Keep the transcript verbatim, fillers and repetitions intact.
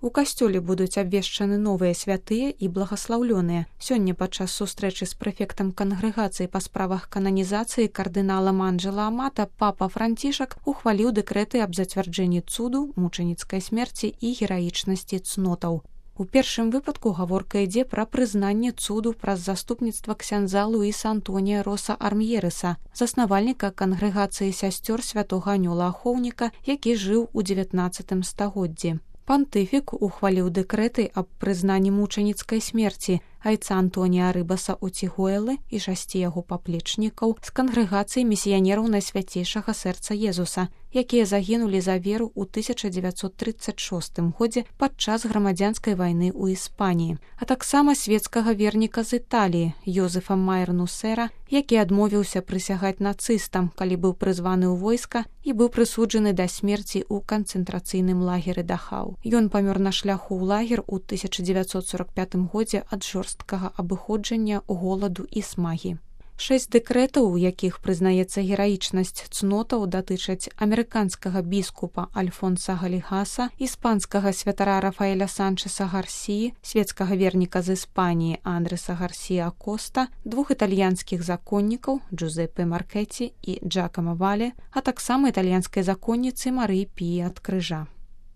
У касцёле будуць абвешчаны новыя святыя і благаслаўлёныя. Сёння падчас сустрэчы з прэфектам кангрэгацыі па справах кананізацыі кардыналам Анджела Амата папа Францішак ухваліў дэкрэты аб зацвярджэнні цуду, мучаніцкай смерці і гераічнасці цнотаў. У першым выпадку гаворка ідзе пра прызнанне цуду праз заступніцтва ксяндза Луіса Антонія Роса Арм'ерыса, заснавальніка кангрэгацыі сясцёр святога Анёла Ахоўніка, які жыў у дзевятнаццатым стагоддзі. Пантыфік ухваліў дэкрэты аб прызнанні мучаніцкай смерці айца Антонія Рыбаса Уцігуэлы і шасці яго паплечнікаў з кангрэгацыі місіянераў Найсвяцейшага сэрца Езуса, якія загінулі за веру ў тысяча дзевяцьсот трыццаць шостым годзе падчас грамадзянскай вайны ў Іспаніі, а таксама свецкага верніка з Італіі Йозефа Майер-Нусера, які адмовіўся прысягаць нацыстам, калі быў прызваны ў войска і быў прысуджаны да смерці ў канцэнтрацыйным лагеры Дахау. Ён памёр на шляху ў лагер у тысяча дзевяцьсот сорак пятым годзе ад жорсткага абыходжання, голаду і смагі. Шэсць дэкрэтаў, у якіх прызнаецца гераічнасць цнотаў, датычаць амерыканскага біскупа Альфонса Галігаса, іспанскага святара Рафаэля Санчеса Гарсіі, свецкага верніка з Іспаніі Андреса Гарсія Коста, двух італьянскіх законнікаў Джузеппе Маркеці і Джакомо Вале, а таксама італьянскай законніцы Марыі Піі ад Крыжа.